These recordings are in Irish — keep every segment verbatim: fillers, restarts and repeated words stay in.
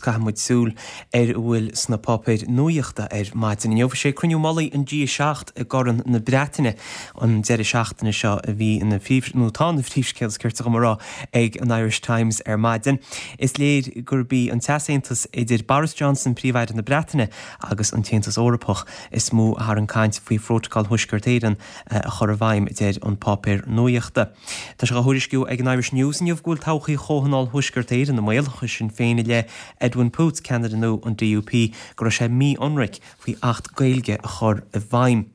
caithfidh muid súil ar a bhfuil sna páipéir nuachta ar maidin inniu. Sé cruinniú mullaigh an G seacht i gCorn na Breataine an deireadh seachtaine seo a bhí ina phríomh nó tá ina phríomhscéal is ceart dom a rá ag an Irish Times ar maidin. Is léir gurb í an t-easaontas idir Boris Johnson Príomh-Aire na Breataine agus an tAontas Eorpach is mó a tharraing caint faoi Phrótacal Thuaisceart Éireann a chur i bhfeidhm deir an páipéar nuachta. Tá sé á thuairisciú ag an Irish News inniu go bhfuil todhchaí Chomhthionól Thuaisceart Éireann i mbaol chuir Sinn Féin i leith Edwin Poots ceannaire nua an DUP go raibh sé mí-ionraic faoi Acht Gaeilge a chur i bhfeidhm.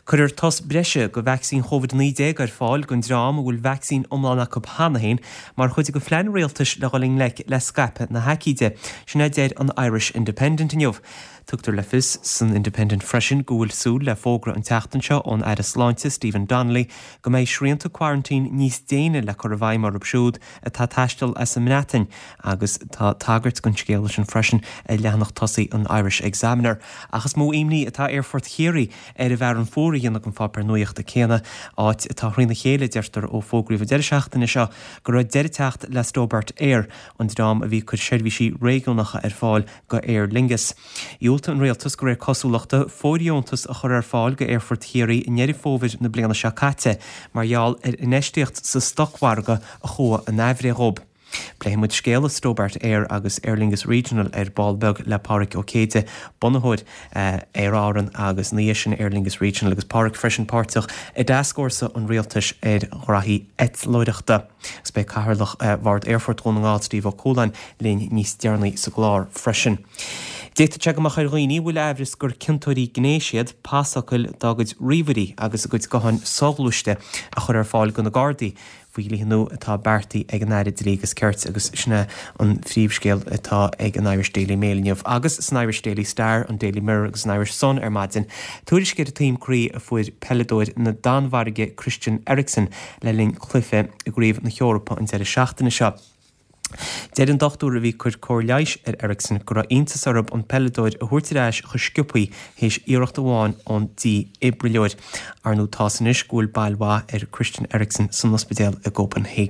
Cuirfear tost breise de vacsaín Covid naoi déag ar fáil don dream a bhfuil vacsaín iomlán acu cheana féin mar chuid de phlean rialtais le dhul i ngleic le scaipeadh na haicíde. Sin a deir an Irish Independent inniu. Tugtar le fios san Independent freisin go bhfuil súil le fógra an tseachtain seo ón Aire Sláinte Stephen Donnelly go mbeidh srianta quarantine níos déine le cur i bhfeidhm orthu siúd atá ag taisteal as an mBreatain agus tá tagairt don scéal sin freisin ar leathanach tosaigh an Irish Examiner. Ach is mó imní atá Aerfort Chiarraí ar an bhFearann Fuar a dhéanamh an pháipéar nuachta céanna áit atá thrína chéile deirtear ó fógraíodh an deireadh seachtaine seo go raibh deireadh ag teacht le Stobart Air an dream a bhí ag cur seirbhísí réigiúnacha ar fáil go Aer Lingus. Dhiúltaigh an rialtas de réir cosúlachta fóirdheontas a chur ar fáil go Aerfort Chiarraí i nDeireadh Fómhair na bliana seo caite mar gheall ar infheistíocht sa stocmhargadh a chuaigh in aimhréidh dhóibh. Pléifidh muid scéala Stobart Air agus Aer Lingus Regional ar ball beag le Pádraig Ó Céide, bunaitheoir Aer Árann agus ina dhiaidh sin Aer Lingus Regional agus Pádraig freisin páirteach i dtascfhórsa an rialtais ar ghraithí eitleoireachta. Agus beidh Cathaoirleach Bhord Aerfort Dhún na nGall Steve Ó Cualáin linn níos deireanaí sa gclár freisin. D'fhéadfadh sé go mbeadh ar dhaoine a bhfuil aimhreas gur ciontóirí gnéis iad pasfhocail dá gcuid ríomhairí agus a gcuid gutháin soghluaiste a chur ar fáil do na Gardaí faoi dhlíthe nua atá beartaithe ag an Aire Dlí agus Cirt agus sin é an phríomhscéal atá ag an Irish Daily Mail inniu agus san Irish Daily Star, an Daily Mirror agus an Irish Sun ar maidin. Tuairisc ar an taom croí a fuair peileadóir na Danmhairge Christian Eriksen le linn cluiche i gCraobh na hEorpa an deireadh seachtaine seo. Deir an dochtúir a bhí ag cur cóir leighis ar Eriksen go raibh iontas orthu an peileadóir a thabhairt ar ais chomh sciobtha théis iarracht amháin ón dífhibrileoir. Ar ndóigh tá's anois go bhfuil bail mhaith ar Christian Eriksen san ospidéal i gCopenhagen.